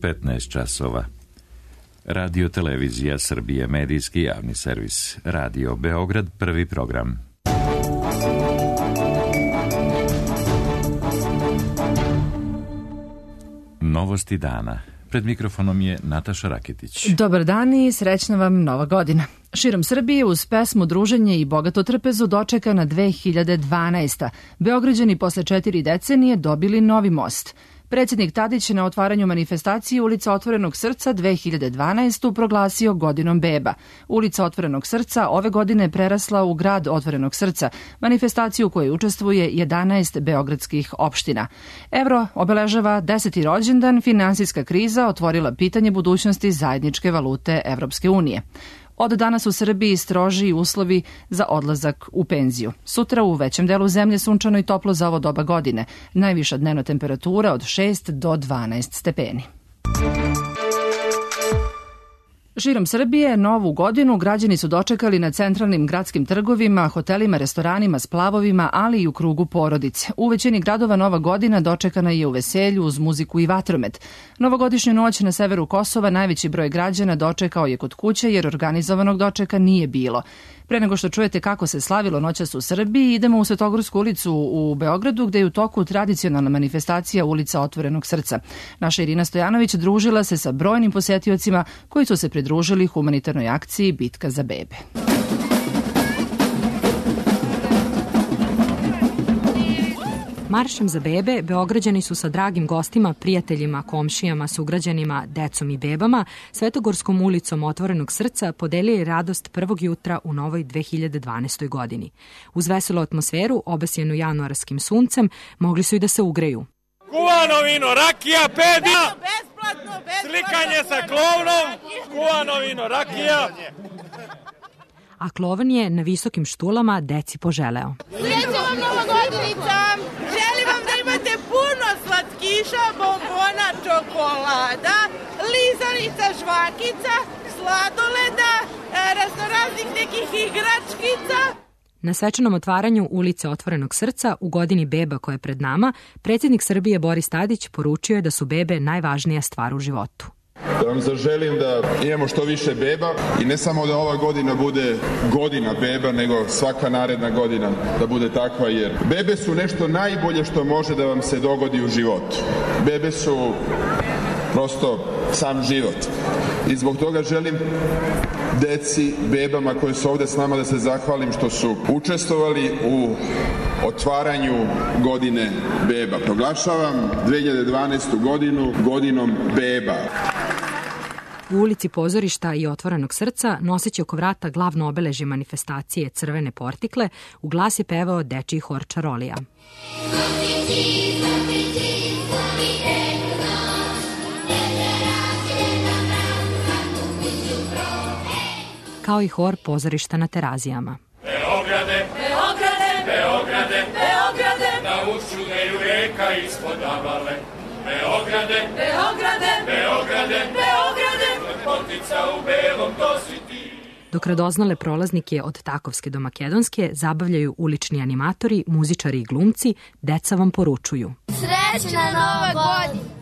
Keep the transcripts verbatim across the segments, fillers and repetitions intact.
petnaest časova. Radio Televizija Srbije, medijski javni servis. Radio Beograd, prvi program. Novosti dana. Pred mikrofonom je Nataša Raketić. Dobar dan i srećna vam nova godina. Širom Srbije uz pesmu Druženje i bogato trpezu dočeka na dve hiljade dvanaesta. Beograđani posle četiri decenije dobili novi most. Predsjednik Tadić na otvaranju manifestacije Ulica Otvorenog srca dve hiljade dvanaestu proglasio godinom beba. Ulica Otvorenog srca ove godine prerasla u grad Otvorenog srca, manifestaciju u kojoj učestvuje jedanaest beogradskih opština. Evro obeležava deseti rođendan, finansijska kriza otvorila pitanje budućnosti zajedničke valute Evropske unije. Od danas u Srbiji strožiji uslovi za odlazak u penziju. Sutra u većem delu zemlje sunčano i toplo za ovo doba godine. Najviša dnevna temperatura od šest do dvanaest stepeni. Širom Srbije novu godinu građani su dočekali na centralnim gradskim trgovima, hotelima, restoranima, splavovima, ali i u krugu porodice. U većini gradova nova godina dočekana je u veselju uz muziku i vatromet. Novogodišnju noć na severu Kosova najveći broj građana dočekao je kod kuće jer organizovanog dočeka nije bilo. Pre nego što čujete kako se slavilo noćas u Srbiji, idemo u Svetogorsku ulicu u Beogradu gde je u toku tradicionalna manifestacija Ulica Otvorenog srca. Naša Irina Stojanović družila se sa brojnim posetiocima koji su se pridružili humanitarnoj akciji Bitka za bebe. Maršem za bebe Beograđani su sa dragim gostima, prijateljima, komšijama, sugrađanima, decom i bebama Svetogorskom ulicom Otvorenog srca podelili radost prvog jutra u novoj dve hiljade dvanaestoj godini. Uz veselu atmosferu, obasjenu januarskim suncem, mogli su i da se ugreju. Kuvano vino, rakija, peda, slikanje sa klovnom, kuvano vino, rakija. A klovan je na visokim štulama deci poželeo. Sreća vam nova godinica! Želim vam da imate puno slatkiša, bombona, čokolada, lizanica, žvakica, sladoleda, raznoraznih nekih igračkica. Na svečanom otvaranju Ulice Otvorenog srca u godini beba koja je pred nama, predsjednik Srbije Boris Tadić poručio je da su bebe najvažnija stvar u životu. Da vam zaželim da imamo što više beba i ne samo da ova godina bude godina beba, nego svaka naredna godina da bude takva, jer bebe su nešto najbolje što može da vam se dogodi u životu. Bebe su prosto sam život. I zbog toga želim deci, bebama koji su ovde s nama da se zahvalim što su učestvovali u otvaranju godine beba. Proglašavam dve hiljade dvanaestu godinu godinom beba. U ulici Pozorišta i Otvorenog srca, noseći oko vrata glavno obeležje manifestacije Crvene portikle, u glas je pevao dečiji hor Čarolija. Kao i hor Pozorišta na Terazijama. Beograde, Beograde, Beograde, Beograde, na ušudeju reka ispod Avale. Beograde, Beograde, Beograde, Beograde, lepotica u belom, to si ti. Dok radoznale prolaznike od Takovske do Makedonske zabavljaju ulični animatori, muzičari i glumci, deca vam poručuju. Srećna nova godina!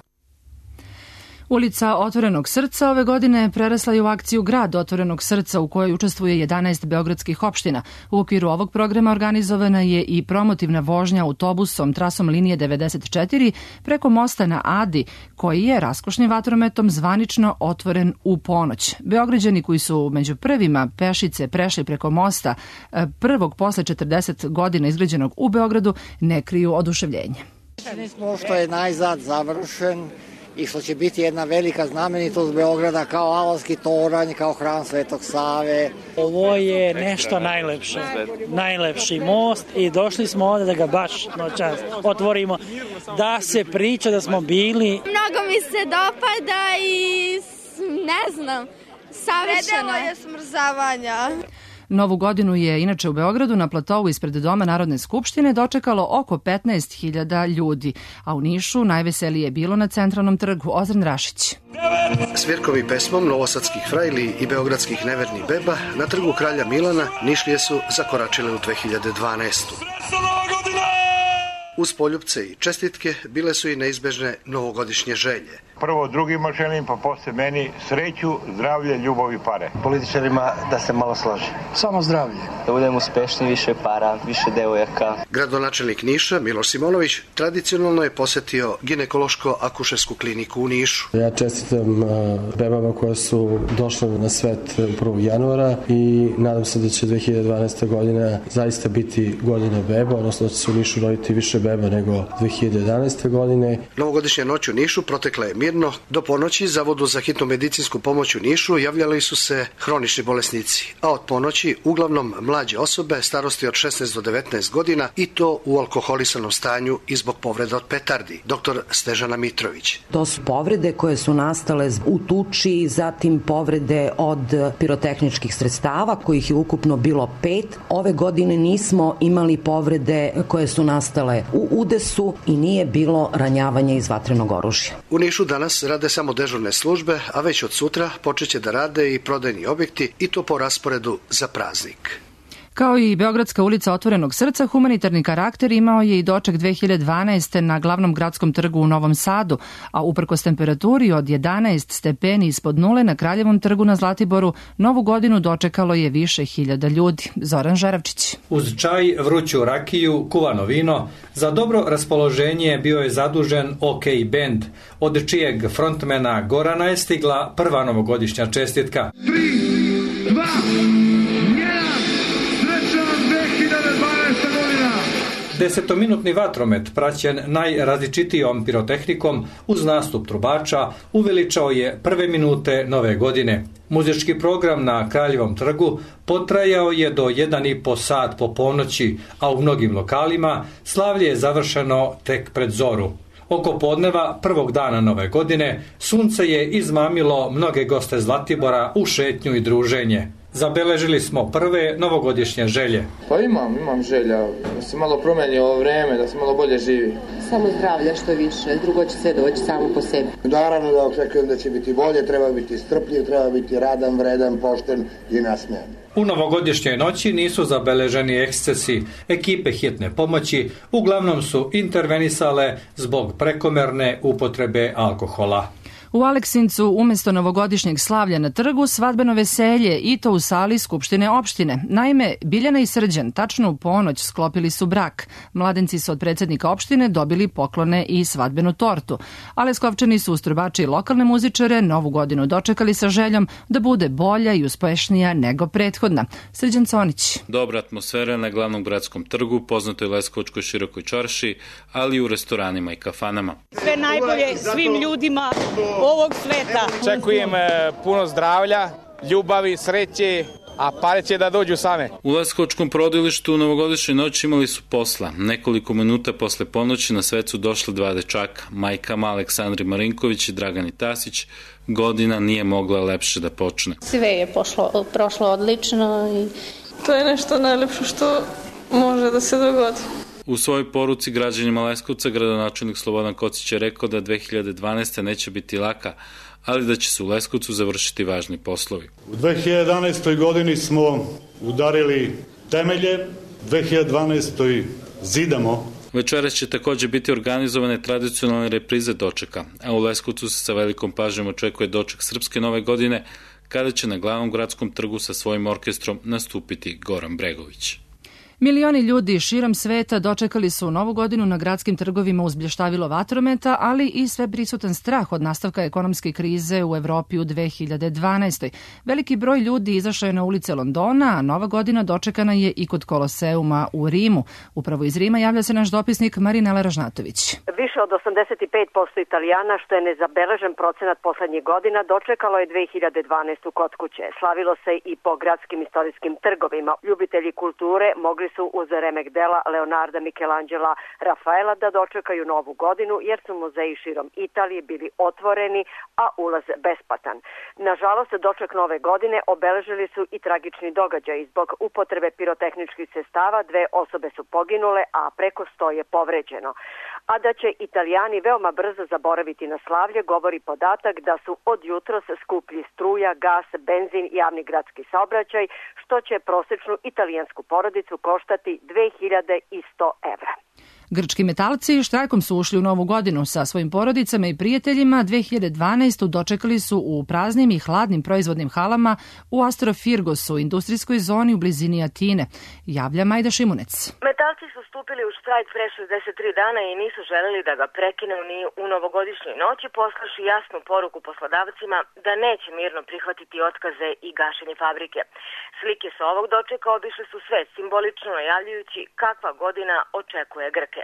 Ulica Otvorenog srca ove godine prerasla je u akciju Grad Otvorenog srca u kojoj učestvuje jedanaest beogradskih opština. U okviru ovog programa organizovana je i promotivna vožnja autobusom trasom linije devedeset četiri preko mosta na Adi, koji je raskošnim vatrometom zvanično otvoren u ponoć. Beograđani koji su među prvima pešice prešli preko mosta prvog posle četrdeset godina izgrađenog u Beogradu ne kriju oduševljenje. Što je najzad završen i što će biti jedna velika znamenitost Beograda kao Avalski toranj, kao hram Svetog Save. Ovo je nešto najlepše, najlepši most i došli smo ovde da ga baš noćas otvorimo, da se priča da smo bili. Mnogo mi se dopada i ne znam, savršeno je smrzavanja. Novu godinu je inače u Beogradu na platovu ispred Doma Narodne skupštine dočekalo oko petnaest hiljada ljudi, a u Nišu najveselije je bilo na Centralnom trgu. Ozren Rašić. Svirkovi pesmom novosadskih frajli i beogradskih nevernih beba na trgu Kralja Milana Nišlije su zakoračile u dve hiljade dvanaestu. Uz poljupce i čestitke bile su i neizbežne novogodišnje želje. Prvo drugima želim, pa posle meni sreću, zdravlje, ljubav i pare. Političarima da se malo složi. Samo zdravlje. Da budemo uspešni, više para, više devojaka. Gradonačelnik Niša, Miloš Simonović, tradicionalno je posetio ginekološko-akušersku kliniku u Nišu. Ja čestitam bebama koje su došle na svet prvog januara i nadam se da će dve hiljade dvanaeste. godina zaista biti godina beba, odnosno da će se u Nišu roditi više beba nego dve hiljade jedanaeste. godine. Novogodišnja noć u Nišu protekla je mirno. Do ponoći Zavodu za hitnu medicinsku pomoć u Nišu javljali su se hronični bolesnici, a od ponoći uglavnom mlađe osobe starosti od šesnaest do devetnaest godina i to u alkoholisanom stanju i zbog povreda od petardi. Doktor Stežana Mitrović. To su povrede koje su nastale u tuči, zatim povrede od pirotehničkih sredstava, kojih je ukupno bilo pet. Ove godine nismo imali povrede koje su nastale u udesu i nije bilo ranjavanja iz vatrenog oružja. U Nišu danas rade samo dežurne službe, a već od sutra počeće da rade i prodajni objekti i to po rasporedu za praznik. Kao i Beogradska ulica Otvorenog srca, humanitarni karakter imao je i doček dve hiljade dvanaeste. na glavnom gradskom trgu u Novom Sadu, a uprkos temperaturi od jedanaest stepeni ispod nule na Kraljevom trgu na Zlatiboru, novu godinu dočekalo je više hiljada ljudi. Zoran Žaravčić. Uz čaj, vruću rakiju, kuvano vino, za dobro raspoloženje bio je zadužen OK band, od čijeg frontmena Gorana je stigla prva novogodišnja čestitka. tri, dva, Desetominutni vatromet, praćen najrazličitijom pirotehnikom uz nastup trubača, uveličao je prve minute nove godine. Muzički program na Kraljevom trgu potrajao je do jedan i po sat po ponoći, a u mnogim lokalima slavlje je završeno tek pred zoru. Oko podneva prvog dana nove godine sunce je izmamilo mnoge goste Zlatibora u šetnju i druženje. Zabeležili smo prve novogodišnje želje. Pa imam, imam želja da se malo promeni ovo vreme, da se malo bolje živi. Samo zdravlja što više, drugo će sve doći samo po sebi. Naravno da očekujem da će biti bolje, treba biti strpljiv, treba biti radan, vredan, pošten i nasmejan. U novogodišnjoj noći nisu zabeleženi ekscesi. Ekipe hitne pomoći uglavnom su intervenisale zbog prekomerne upotrebe alkohola. U Aleksincu umesto novogodišnjeg slavlja na trgu svadbeno veselje i to u sali Skupštine opštine. Naime, Biljana i Srđan tačno u ponoć sklopili su brak. Mladenci su od predsjednika opštine dobili poklone i svadbenu tortu. A Leskovčani su uz trubače i lokalne muzičare novu godinu dočekali sa željom da bude bolja i uspešnija nego prethodna. Srđan Conić. Dobra atmosfera na glavnom gradskom trgu, poznatoj Leskovačkoj širokoj čarši, ali i u restoranima i kafanama. Sve najbolje svim ljudima ovog sveta. Očekujem puno zdravlja, ljubavi, sreće, a pare će da dođu same. U Leskovačkom porodilištu u novogodišnjoj noći imali su posla. Nekoliko minuta posle ponoći na svet su došli dva dečaka, majkama Aleksandri Marinković i Dragani Tasić. Godina nije mogla lepše da počne. Sve je pošlo, prošlo odlično i to je nešto najlepše što može da se dogodi. U svojoj poruci građanima Leskovca gradonačelnik Slobodan Kocić je rekao da dve hiljade dvanaeste. neće biti laka, ali da će se u Leskovcu završiti važni poslovi. U dve hiljade jedanaestoj. godini smo udarili temelje, dve hiljade dvanaestoj. zidamo. Večeras će također biti organizovane tradicionalne reprize dočeka, a u Leskovcu se sa velikom pažnjom očekuje doček Srpske nove godine, kada će na glavnom gradskom trgu sa svojim orkestrom nastupiti Goran Bregović. Milioni ljudi širom sveta dočekali su novu godinu na gradskim trgovima uz blještavilo vatrometa, ali i sve prisutan strah od nastavka ekonomske krize u Evropi u dve hiljade dvanaestoj. Veliki broj ljudi izašao je na ulice Londona, a nova godina dočekana je i kod Koloseuma u Rimu. Upravo iz Rima javlja se naš dopisnik Marinela Ražnatović. Više od osamdeset pet posto Italijana, što je nezabeležen procenat poslednjih godina, dočekalo je dve hiljade dvanaestu. kod kuće. Slavilo se i po gradskim istorijskim trgovima. Ljubitelji kulture mogli su uz remek dela Leonarda, Michelangela, Rafaela da dočekaju novu godinu, jer su muzeji širom Italije bili otvoreni, a ulaz besplatan. Nažalost, doček nove godine obeležili su i tragični događaj. Zbog upotrebe pirotehničkih sredstava dve osobe su poginule, a preko sto je povređeno. A da će Italijani veoma brzo zaboraviti na slavlje, govori podatak da su od jutros skuplji struja, gas, benzin i javni gradski saobraćaj, što će prosečnu italijansku porodicu koštati dve hiljade sto evra. Grčki metalci štrajkom su ušli u novu godinu sa svojim porodicama i prijateljima. dve hiljade dvanaestu dočekali su u praznim i hladnim proizvodnim halama u Astrofirgosu, industrijskoj zoni u blizini Atine. Javlja Majda Šimunec. Metalci su stupili u štrajk pre šezdeset tri dana i nisu želeli da ga prekinu ni u novogodišnjoj noći, poslaši jasnu poruku poslodavcima da neće mirno prihvatiti otkaze i gašenje fabrike. Slike sa ovog dočeka obišle su svet, simbolično najavljujući kakva godina očekuje Grke.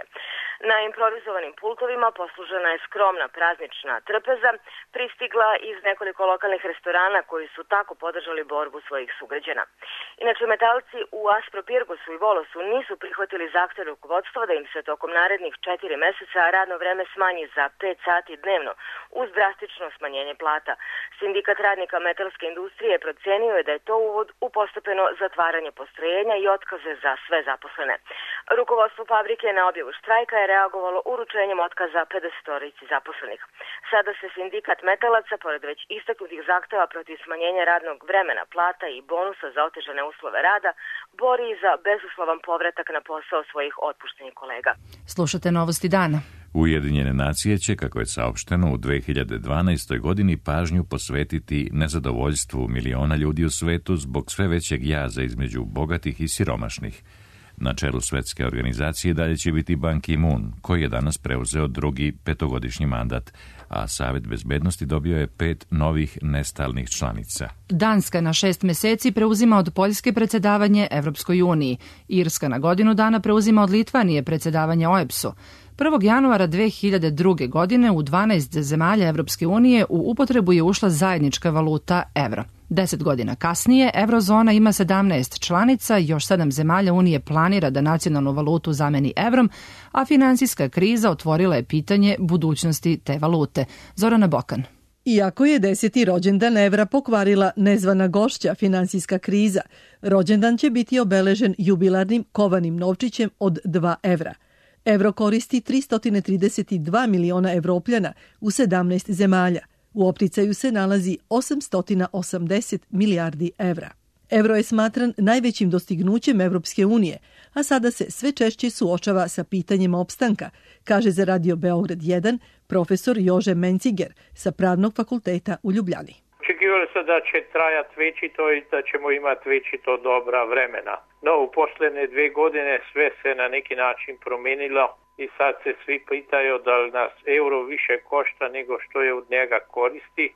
Na improvizovanim pultovima poslužena je skromna praznična trpeza, pristigla iz nekoliko lokalnih restorana koji su tako podržali borbu svojih sugrađana. Inače, metalci u Aspropirgosu i Volosu nisu prihvatili zahtev rukovodstva da im se tokom narednih četiri meseca radno vreme smanji za pet sati dnevno, uz drastično smanjenje plata. Sindikat radnika metalske industrije procenio je da je to uvod u postepeno zatvaranje postrojenja i otkaze za sve zaposlene. Rukovodstvo fabrike na objavu štrajka je reagovalo uručenjem otkaza pedesetorici zaposlenih. Sada se sindikat metalaca, pored već istaknutih zahteva protiv smanjenja radnog vremena, plata i bonusa za otežane uslove rada, bori za bezuslovan povratak na posao svojih otpuštenih kolega. Slušate Novosti dana. Ujedinjene nacije će, kako je saopšteno, u dve hiljade dvanaestoj godini pažnju posvetiti nezadovoljstvu miliona ljudi u svetu zbog sve većeg jaza između bogatih i siromašnih. Na čelu svetske organizacije dalje će biti Ban Ki-moon, koji je danas preuzeo drugi petogodišnji mandat, a Savet bezbednosti dobio je pet novih nestalnih članica. Danska na šest meseci preuzima od Poljske predsedavanje Evropskoj uniji. Irska na godinu dana preuzima od Litvanije predsedavanje O E B S-u. prvog januara dve hiljade druge. godine u dvanaest zemalja Evropske unije u upotrebu je ušla zajednička valuta evro. Deset godina kasnije, eurozona ima sedamnaest članica, još sedam zemalja Unije planira da nacionalnu valutu zameni evrom, a finansijska kriza otvorila je pitanje budućnosti te valute. Zorana Bokan. Iako je deseti rođendan evra pokvarila nezvana gošća finansijska kriza, rođendan će biti obeležen jubilarnim kovanim novčićem od dva evra. Evro koristi tristo trideset dva miliona Evropljana u sedamnaest zemalja. U opticaju se nalazi osamsto osamdeset milijardi evra. Evro je smatran najvećim dostignućem Evropske unije, a sada se sve češće suočava sa pitanjem opstanka, kaže za Radio Beograd jedan profesor Jože Menciger sa Pravnog fakulteta u Ljubljani. Očekivali se da će trajati večito i da ćemo imati večito dobra vremena. No, u posljednje dve godine sve se na neki način promijenilo i sad se svi pitaju da li nas euro više košta nego što je od njega koristi,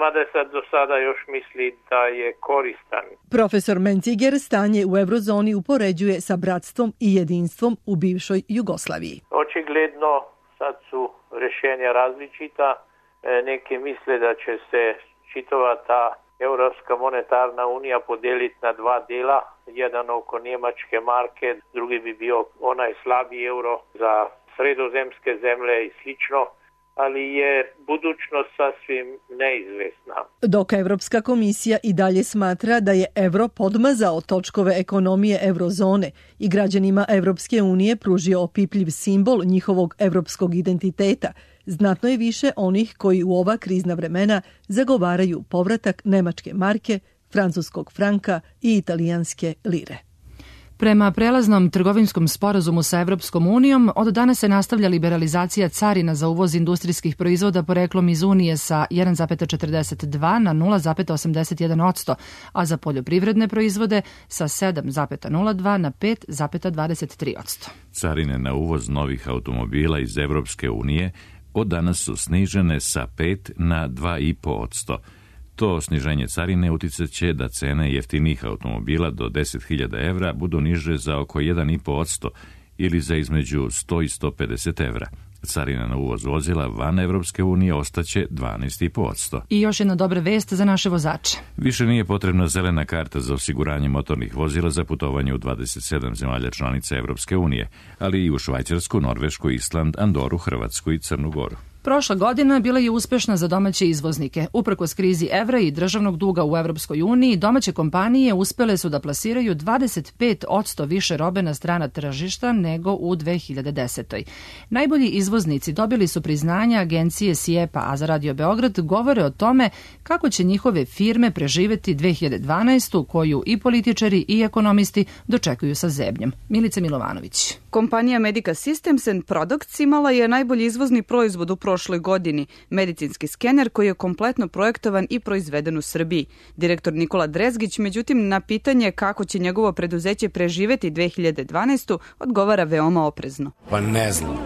mada sad do sada još misli da je koristan. Profesor Menciger stanje u eurozoni upoređuje sa bratstvom i jedinstvom u bivšoj Jugoslaviji. Očigledno sad su rješenja različita. Neki misle da će se čitava ta Europska monetarna unija podijeliti na dva dijela, jedan oko njemačke marke, drugi bi bio onaj slabi euro za sredozemske zemlje i slično, ali je budućnost sasvim neizvesna. Dok Evropska komisija i dalje smatra da je evro podmazao točkove ekonomije eurozone i građanima Evropske unije pružio opipljiv simbol njihovog evropskog identiteta, znatno je više onih koji u ova krizna vremena zagovaraju povratak nemačke marke, francuskog franka i italijanske lire. Prema prelaznom trgovinskom sporazumu sa Evropskom unijom, od danas se nastavlja liberalizacija carina za uvoz industrijskih proizvoda poreklom iz Unije sa jedan zarez četrdeset dva na nula zarez osamdeset jedan posto, a za poljoprivredne proizvode sa sedam zarez nula dva na pet zarez dvadeset tri posto. Carine na uvoz novih automobila iz Evropske unije od danas su snižene sa pet na dva zarez pet posto. To sniženje carine uticat će da cene jeftinih automobila do deset hiljada evra budu niže za oko jedan zarez pet posto ili za između sto i sto pedeset evra. Carina na uvoz vozila van Evropske unije ostaće dvanaest zarez pet posto. I još jedna dobra vest za naše vozače. Više nije potrebna zelena karta za osiguranje motornih vozila za putovanje u dvadeset sedam zemalja članica Evropske unije, ali i u Švajcarsku, Norvešku, Island, Andoru, Hrvatsku i Crnu Goru. Prošla godina bila je uspešna za domaće izvoznike. Uprkos krizi evra i državnog duga u Evropskoj uniji, domaće kompanije uspele su da plasiraju dvadeset pet posto više robe na strana tržišta nego u dve hiljade desetoj. Najbolji izvoznici dobili su priznanja agencije SIEPA, a za Radio Beograd govore o tome kako će njihove firme preživeti dve hiljade dvanaestu, koju i političari i ekonomisti dočekuju sa zebnjem. Milica Milovanović. Kompanija Medica Systems and Products imala je najbolji izvozni proizvod u prošloj godini, medicinski skener koji je kompletno projektovan i proizveden u Srbiji. Direktor Nikola Drezgić, međutim, na pitanje kako će njegovo preduzeće preživeti dve hiljade dvanaestu odgovara veoma oprezno. Pa ne znam,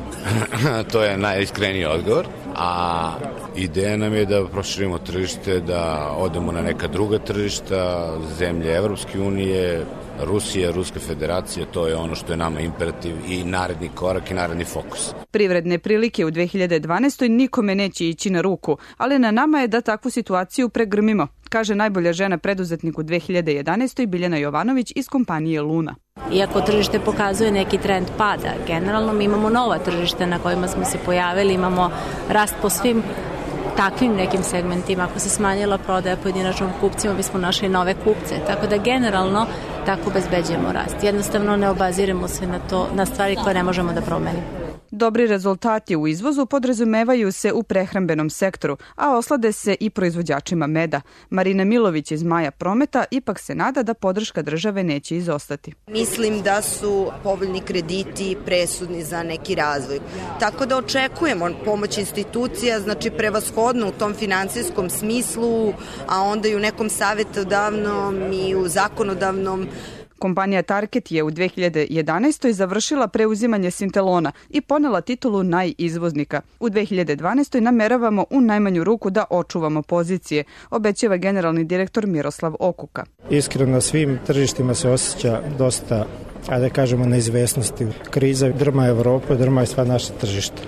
to je najiskreniji odgovor, a ideja nam je da proširimo tržište, da odemo na neka druga tržišta, zemlje Evropske unije, Rusija, Ruska federacija, to je ono što je nama imperativ i naredni korak i naredni fokus. Privredne prilike u dve hiljade dvanaestoj nikome neće ići na ruku, ali na nama je da takvu situaciju pregrmimo, kaže najbolja žena preduzetnik u dve hiljade jedanaestoj Biljana Jovanović iz kompanije Luna. Iako tržište pokazuje neki trend pada, generalno mi imamo nova tržišta na kojima smo se pojavili, imamo rast po svim takvim nekim segmentima. Ako se smanjila prodaja pojedinačnom kupcima, bismo našli nove kupce. Tako da generalno tako obezbeđujemo rast. Jednostavno ne obaziremo se na to, na stvari koje ne možemo da promenimo. Dobri rezultati u izvozu podrazumevaju se u prehrambenom sektoru, a oslade se i proizvođačima meda. Marina Milović iz Maja Prometa ipak se nada da podrška države neće izostati. Mislim da su povoljni krediti presudni za neki razvoj. Tako da očekujemo pomoć institucija, znači prevashodno u tom finansijskom smislu, a onda i u nekom savjetodavnom i u zakonodavnom. Kompanija Target je u dve hiljade jedanaestoj završila preuzimanje Sintelona i ponela titulu najizvoznika. U dve hiljade dvanaestoj nameravamo u najmanju ruku da očuvamo pozicije, obećava generalni direktor Miroslav Okuka. Iskreno na svim tržištima se osjeća dosta, ajde da kažemo, neizvesnosti. Kriza drma Evropu, drma je sva naša tržišta.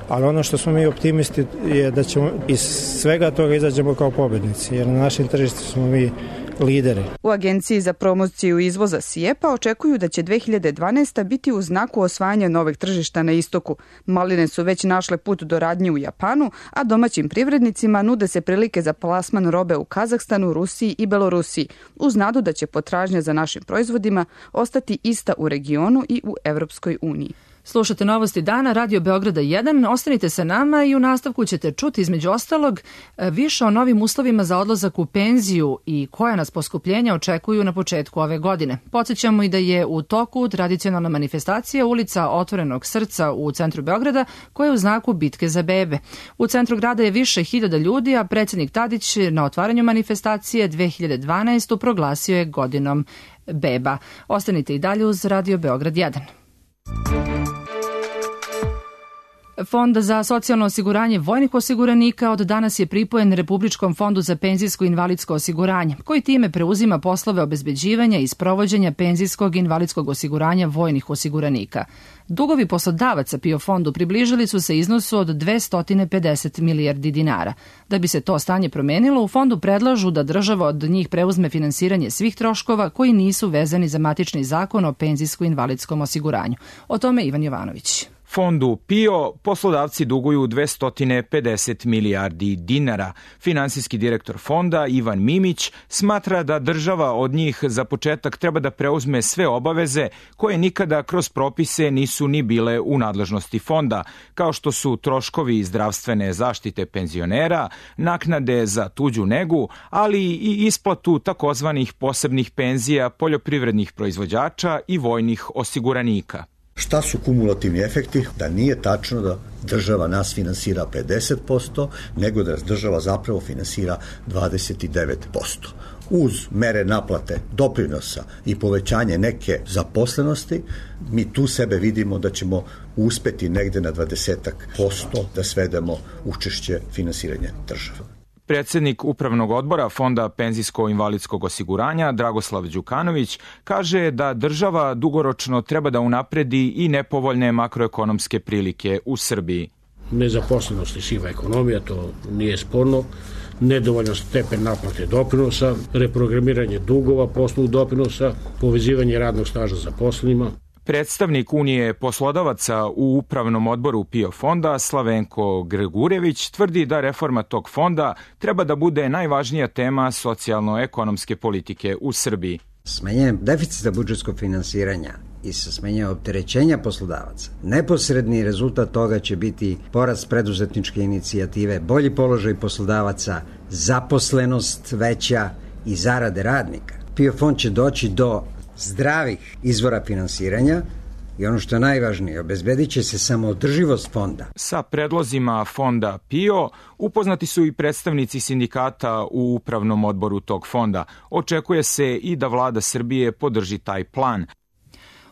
Ali ono što smo mi optimisti je da ćemo iz svega toga izađemo kao pobednici, jer na našem tržištu smo mi lideri. U Agenciji za promociju izvoza SIEPA očekuju da će dve hiljade dvanaesta biti u znaku osvajanja novih tržišta na istoku. Maline su već našle put do radnje u Japanu, a domaćim privrednicima nude se prilike za plasman robe u Kazahstanu, Rusiji i Belorusiji, uz nadu da će potražnja za našim proizvodima ostati ista u regionu i u Evropskoj uniji. Slušate novosti dana, Radio Beograda jedan. Ostanite sa nama i u nastavku ćete čuti između ostalog više o novim uslovima za odlazak u penziju i koja nas poskupljenja očekuju na početku ove godine. Podsjećamo i da je u toku tradicionalna manifestacija ulica Otvorenog srca u centru Beograda koja je u znaku bitke za bebe. U centru grada je više hiljada ljudi, a predsjednik Tadić na otvaranju manifestacije dve hiljade dvanaestu proglasio je godinom beba. Ostanite i dalje uz Radio Beograd jedan. Fond za socijalno osiguranje vojnih osiguranika od danas je pripojen Republičkom fondu za penzijsko i invalidsko osiguranje, koji time preuzima poslove obezbeđivanja i sprovođenja penzijskog i invalidskog osiguranja vojnih osiguranika. Dugovi poslodavaca PIO fondu približili su se iznosu od dvesta pedeset milijardi dinara. Da bi se to stanje promenilo, u fondu predlažu da država od njih preuzme finansiranje svih troškova koji nisu vezani za matični zakon o penzijsko-invalidskom osiguranju. O tome Ivan Jovanović. Fondu PIO poslodavci duguju dvesta pedeset milijardi dinara. Finansijski direktor fonda Ivan Mimić smatra da država od njih za početak treba da preuzme sve obaveze koje nikada kroz propise nisu ni bile u nadležnosti fonda, kao što su troškovi zdravstvene zaštite penzionera, naknade za tuđu negu, ali i isplatu takozvanih posebnih penzija poljoprivrednih proizvođača i vojnih osiguranika. Šta su kumulativni efekti? Da nije tačno da država nas finansira pedeset posto, nego da država zapravo finansira dvadeset devet posto. Uz mere naplate doprinosa i povećanje neke zaposlenosti, mi tu sebe vidimo da ćemo uspeti negde na dvadeset posto da svedemo učešće finansiranja države. Predsjednik Upravnog odbora Fonda penzijsko-invalidskog osiguranja Dragoslav Đukanović kaže da država dugoročno treba da unapredi i nepovoljne makroekonomske prilike u Srbiji. Nezaposlenost i siva ekonomija, to nije sporno, nedovoljan stepen naplate doprinosa, reprogramiranje dugova po osnovu doprinosa, povezivanje radnog staža zaposlenima. Predstavnik Unije poslodavaca u upravnom odboru PIO fonda Slavenko Gregurević tvrdi da reforma tog fonda treba da bude najvažnija tema socijalno-ekonomske politike u Srbiji. Smanjenjem deficita budžetskog finansiranja i sa smanjenjem opterećenja poslodavaca, neposredni rezultat toga će biti porast preduzetničke inicijative, bolji položaj poslodavaca, zaposlenost veća i zarade radnika. PIO fond će doći do zdravih izvora finansiranja i ono što je najvažnije, obezbedit će se samoodrživost fonda. Sa predlozima fonda PIO upoznati su i predstavnici sindikata u upravnom odboru tog fonda. Očekuje se i da vlada Srbije podrži taj plan.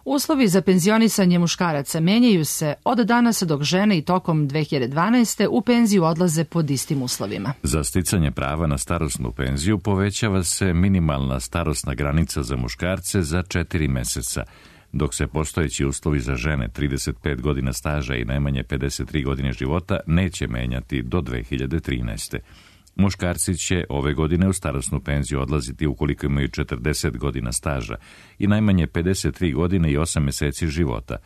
Uslovi za penzionisanje muškaraca menjaju se od danas dok žene i tokom dve hiljade dvanaeste. u penziju odlaze pod istim uslovima. Za sticanje prava na starosnu penziju povećava se minimalna starosna granica za muškarce za četiri meseca, dok se postojeći uslovi za žene trideset pet godina staža i najmanje pedeset tri godine života neće menjati do dve hiljade trinaeste. Muškarci će ove godine u starosnu penziju odlaziti ukoliko imaju četrdeset godina staža i najmanje pedeset tri godine i osam meseci života.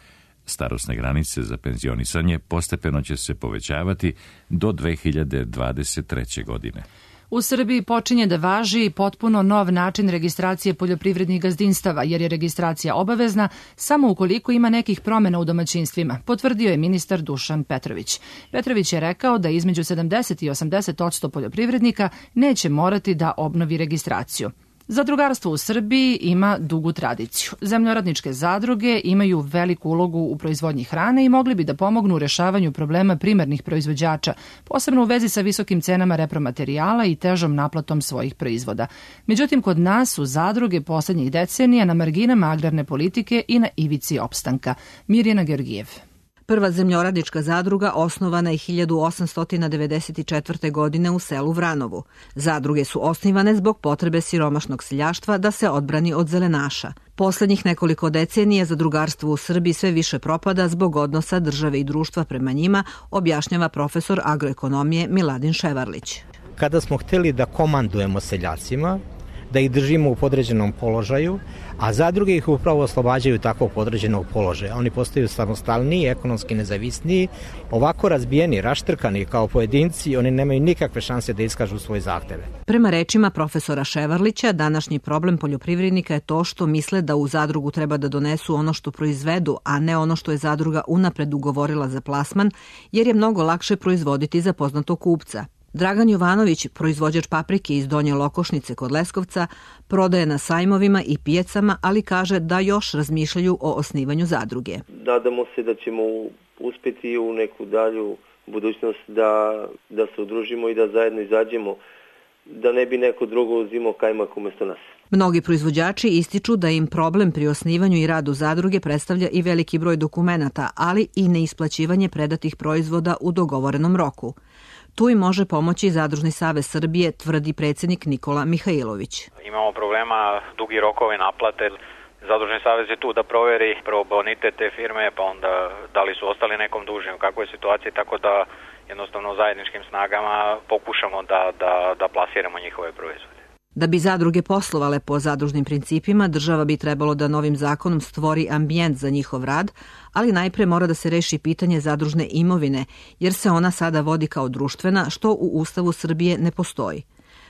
Starosne granice za penzionisanje postepeno će se povećavati do dve hiljade dvadeset treće. godine. U Srbiji počinje da važi potpuno nov način registracije poljoprivrednih gazdinstava, jer je registracija obavezna samo ukoliko ima nekih promena u domaćinstvima, potvrdio je ministar Dušan Petrović. Petrović je rekao da između sedamdeset i osamdeset posto poljoprivrednika neće morati da obnovi registraciju. Zadrugarstvo u Srbiji ima dugu tradiciju. Zemljoradničke zadruge imaju veliku ulogu u proizvodnji hrane i mogli bi da pomognu u rešavanju problema primarnih proizvođača, posebno u vezi sa visokim cenama repromaterijala i težom naplatom svojih proizvoda. Međutim, kod nas su zadruge poslednjih decenija na marginama agrarne politike i na ivici opstanka. Mirjana Georgijev. Prva zemljoradnička zadruga osnovana je hiljadu osamsto devedeset četvrte. godine u selu Vranovu. Zadruge su osnivane zbog potrebe siromašnog seljaštva da se odbrani od zelenaša. Poslednjih nekoliko decenija zadrugarstvo u Srbiji sve više propada zbog odnosa države i društva prema njima, objašnjava profesor agroekonomije Miladin Ševarlić. Kada smo hteli da komandujemo seljacima, da ih držimo u podređenom položaju, a zadruge ih upravo oslobađaju takvog podređenog položaja. Oni postaju samostalniji, ekonomski nezavisniji, ovako razbijeni, raštrkani kao pojedinci, oni nemaju nikakve šanse da iskažu svoje zahteve. Prema rečima profesora Ševarlića, današnji problem poljoprivrednika je to što misle da u zadrugu treba da donesu ono što proizvedu, a ne ono što je zadruga unapred ugovorila za plasman, jer je mnogo lakše proizvoditi za poznatog kupca. Dragan Jovanović, proizvođač paprike iz Donje Lokošnice kod Leskovca, prodaje na sajmovima i pijacama, ali kaže da još razmišljaju o osnivanju zadruge. Nadamo se da ćemo uspeti u neku dalju budućnost da, da se udružimo i da zajedno izađemo, da ne bi neko drugo uzimao kajmak umesto nas. Mnogi proizvođači ističu da im problem pri osnivanju i radu zadruge predstavlja i veliki broj dokumenata, ali i neisplaćivanje predatih proizvoda u dogovorenom roku. Tu im može pomoći Zadružni savez Srbije, tvrdi predsjednik Nikola Mihajlović. Imamo problema, dugi rokovi naplate. Zadružni savez je tu da proveri prvo bonitet te firme, pa onda da li su ostali nekom dužni, u kakvoj situaciji, tako da jednostavno zajedničkim snagama pokušamo da, da, da plasiramo njihove proizvode. Da bi zadruge poslovale po zadružnim principima, država bi trebalo da novim zakonom stvori ambijent za njihov rad, ali najpre mora da se reši pitanje zadružne imovine, jer se ona sada vodi kao društvena, što u Ustavu Srbije ne postoji.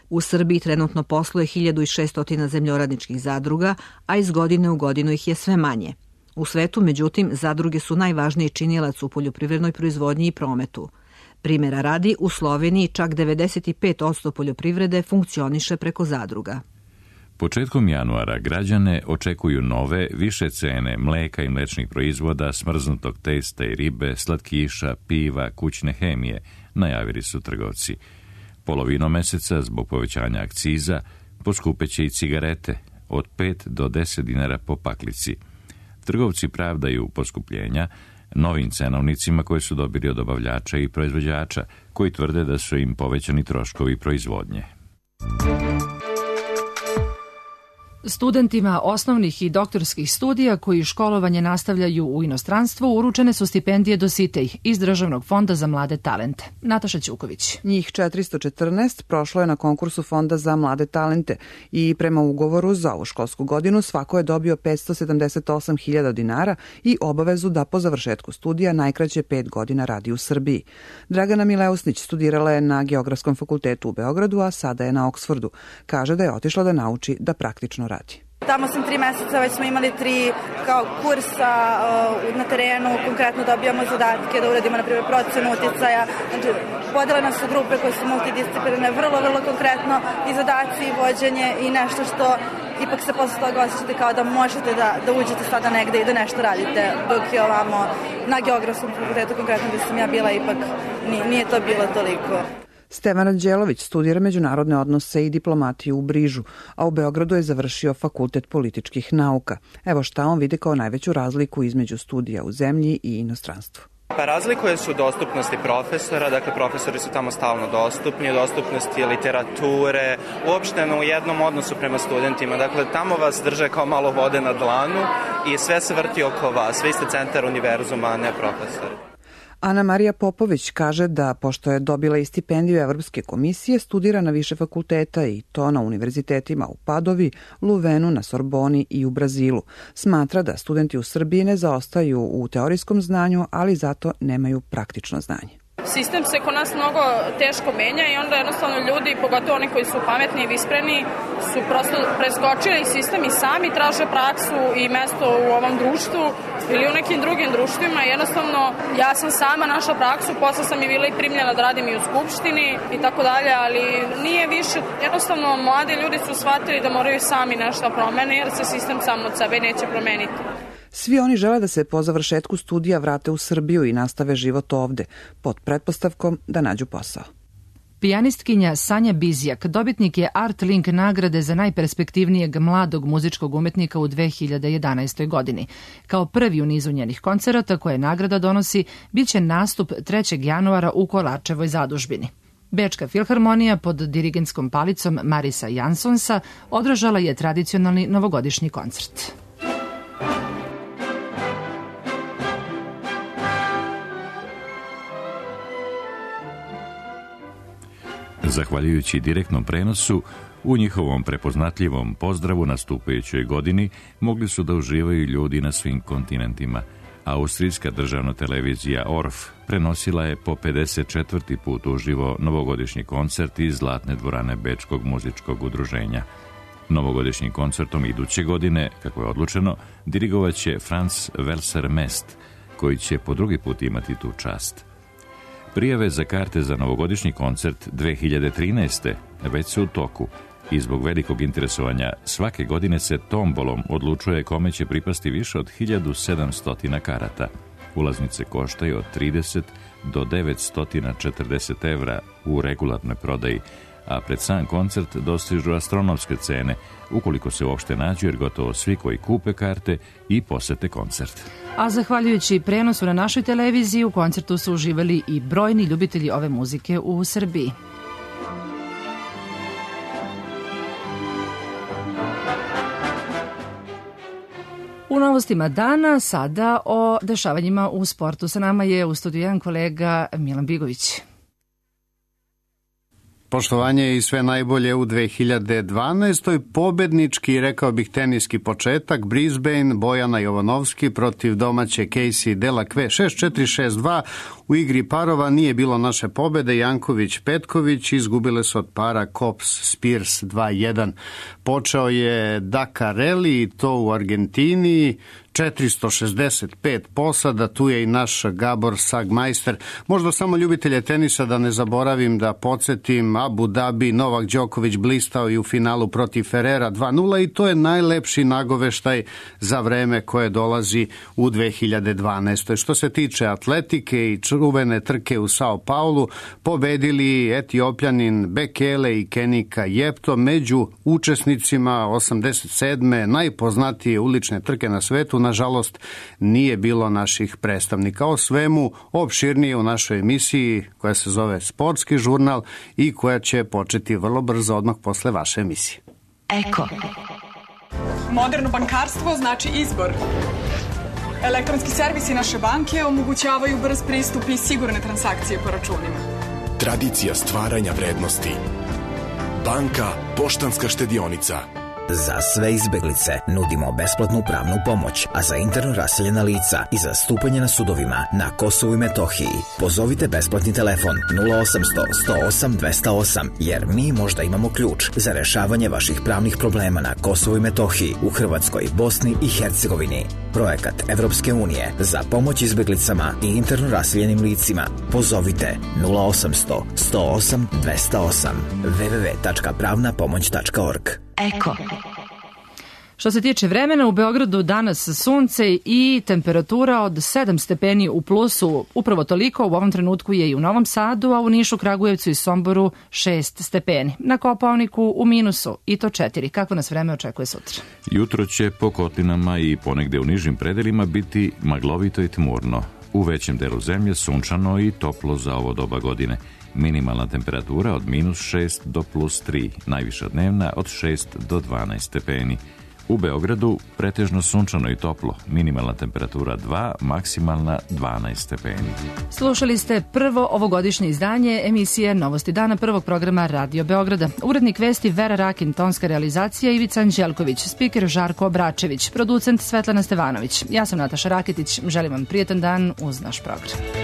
U Srbiji trenutno posluje hiljadu šesto zemljoradničkih zadruga, a iz godine u godinu ih je sve manje. U svetu, međutim, zadruge su najvažniji činilac u poljoprivrednoj proizvodnji i prometu. Primjera radi, u Sloveniji čak devedeset pet posto poljoprivrede funkcioniše preko zadruga. Početkom januara građane očekuju nove, više cene mleka i mlečnih proizvoda, smrznutog testa i ribe, slatkiša, piva, kućne hemije, najavili su trgovci. Polovinom meseca, zbog povećanja akciza, poskupeće i cigarete, od pet do deset dinara po paklici. Trgovci pravdaju poskupljenja novim cenovnicima koje su dobili od dobavljača i proizvođača, koji tvrde da su im povećani troškovi proizvodnje. Studentima osnovnih i doktorskih studija koji školovanje nastavljaju u inostranstvu uručene su stipendije Dositej iz Državnog fonda za mlade talente. Nataša Ćuković. Njih četiristo četrnaest prošlo je na konkursu Fonda za mlade talente i prema ugovoru za ovu školsku godinu svako je dobio petsto sedamdeset osam hiljada dinara i obavezu da po završetku studija najkraće pet godina radi u Srbiji. Dragana Mileusnić studirala je na Geografskom fakultetu u Beogradu, a sada je na Oksfordu. Kaže da je otišla da nauči da praktično radi. Tamo sam tri meseca, već smo imali tri kao kursa uh, na terenu, konkretno dobijamo zadatke da uradimo, na primjer, procenu uticaja. Znači, podeljene su grupe koje su multidisciplinarne, vrlo, vrlo konkretno i zadaci i vođenje i nešto što ipak se posle toga osjećate kao da možete da, da uđete sada negde i da nešto radite, dok je ovamo na Geografskom fakultetu, konkretno gde sam ja bila, ipak nije, nije to bilo toliko. Stevan Anđelović studira međunarodne odnose i diplomatiju u Brižu, a u Beogradu je završio Fakultet političkih nauka. Evo šta on vidi kao najveću razliku između studija u zemlji i inostranstvu. Pa razlikuje su dostupnosti profesora, dakle profesori su tamo stalno dostupni, dostupnosti literature, uopšteno u jednom odnosu prema studentima. Dakle, tamo vas drže kao malo vode na dlanu i sve se vrti oko vas, vi ste centar univerzuma, a ne profesori. Ana Marija Popović kaže da, pošto je dobila i stipendiju Evropske komisije, studira na više fakulteta i to na univerzitetima u Padovi, Luvenu, na Sorboni i u Brazilu. Smatra da studenti u Srbiji ne zaostaju u teorijskom znanju, ali zato nemaju praktično znanje. Sistem se kod nas mnogo teško menja i onda jednostavno ljudi, pogotovo oni koji su pametni i vispreni, su prosto preskočili sistem i sami traže praksu i mesto u ovom društvu ili u nekim drugim društvima. Jednostavno, ja sam sama našla praksu, posle sam i bila i primljena da radim i u skupštini i tako dalje, ali nije više, jednostavno mladi ljudi su shvatili da moraju sami nešto promene jer se sistem sam od sebe neće promeniti. Svi oni žele da se po završetku studija vrate u Srbiju i nastave život ovde, pod pretpostavkom da nađu posao. Pijanistkinja Sanja Bizjak dobitnik je Art Link nagrade za najperspektivnijeg mladog muzičkog umetnika u dve hiljade jedanaestoj. godini. Kao prvi u nizu njenih koncerata koje nagrada donosi, bit će nastup trećeg januara u Kolarčevoj zadužbini. Bečka filharmonija pod dirigentskom palicom Marisa Jansonsa održala je tradicionalni novogodišnji koncert. Zahvaljujući direktnom prenosu, u njihovom prepoznatljivom pozdravu nastupajućoj godini mogli su da uživaju ljudi na svim kontinentima. Austrijska državna televizija O R F prenosila je po pedeset četvrti put uživo novogodišnji koncert iz Zlatne dvorane Bečkog muzičkog udruženja. Novogodišnjim koncertom iduće godine, kako je odlučeno, dirigovaće Franz Welser Mest, koji će po drugi put imati tu čast. Prijave za karte za novogodišnji koncert dve hiljade trinaeste. već su u toku i zbog velikog interesovanja svake godine se tombolom odlučuje kome će pripasti više od hiljadu sedamsto karata. Ulaznice koštaju od trideset do devetsto četrdeset evra u regularnoj prodaji, a pred sam koncert dostižu astronomske cene, ukoliko se uopšte nađu, jer gotovo svi koji kupe karte i posete koncert. A zahvaljujući prenosu na našoj televiziji, u koncertu su uživali i brojni ljubitelji ove muzike u Srbiji. U novostima dana sada o dešavanjima u sportu. Sa nama je u studiju jedan kolega Milan Bigović. Poštovanje i sve najbolje u dve hiljade dvanaestoj. Pobednički, rekao bih, teniski početak. Brisbane, Bojana Jovanovski protiv domaće Casey Delacque šest četiri šest dva. U igri parova nije bilo naše pobede. Janković-Petković izgubile su od para Kops-Spears dva jedan. Počeo je Dakar Rally i to u Argentini. četiristo šezdeset pet posada, tu je i naš Gabor Sagmeister. Možda samo ljubitelje tenisa da ne zaboravim da podsjetim, Abu Dhabi, Novak Đoković blistao i u finalu protiv Ferrera dva nula i to je najlepši nagoveštaj za vreme koje dolazi u dve hiljade dvanaestoj. Što se tiče atletike i čuvene trke u Sao Paulu, pobedili Etiopljanin Bekele i Kenika Jepto među učesnicima osamdeset sedme najpoznatije ulične trke na svetu. Nažalost, nije bilo naših predstavnika. O svemu opširnije u našoj emisiji koja se zove Sportski žurnal i koja će početi vrlo brzo odmah posle vaše emisije. Eko. Moderno bankarstvo znači izbor. Elektronski servisi naše banke omogućavaju brz pristup i sigurne transakcije po računima. Tradicija stvaranja vrednosti. Banka Poštanska štedionica. Za sve izbeglice nudimo besplatnu pravnu pomoć, a za interno raseljena lica i zastupanje na sudovima na Kosovu i Metohiji pozovite besplatni telefon nula osamsto sto osam dvesta osam, jer mi možda imamo ključ za rešavanje vaših pravnih problema na Kosovu i Metohiji, u Hrvatskoj, Bosni i Hercegovini. Projekat Evropske unije za pomoć izbeglicama i interno raseljenim licima. Pozovite nula osamsto sto osam dvesta osam w w w tačka pravna pomoć tačka org. Eko. Što se tiče vremena, u Beogradu danas sunce i temperatura od sedam stepeni u plusu. Upravo toliko u ovom trenutku je i u Novom Sadu, a u Nišu, Kragujevcu i Somboru šest stepeni. Na Kopaoniku u minusu i to četiri. Kako nas vreme očekuje sutra? Jutro će po kotlinama i ponegde u nižim predelima biti maglovito i tmurno. U većem delu zemlje sunčano i toplo za ovo doba godine. Minimalna temperatura od minus šest do plus tri, najviša dnevna od šest do dvanaest stepeni. U Beogradu pretežno sunčano i toplo, minimalna temperatura dva, maksimalna dvanaest stepeni. Slušali ste prvo ovogodišnje izdanje emisije Novosti dana prvog programa Radio Beograda. Urednik vesti Vera Rakin, tonska realizacija Ivica Anđelković, spiker Žarko Obračević, producent Svetlana Stevanović. Ja sam Nataša Raketić, želim vam prijetan dan uz naš program.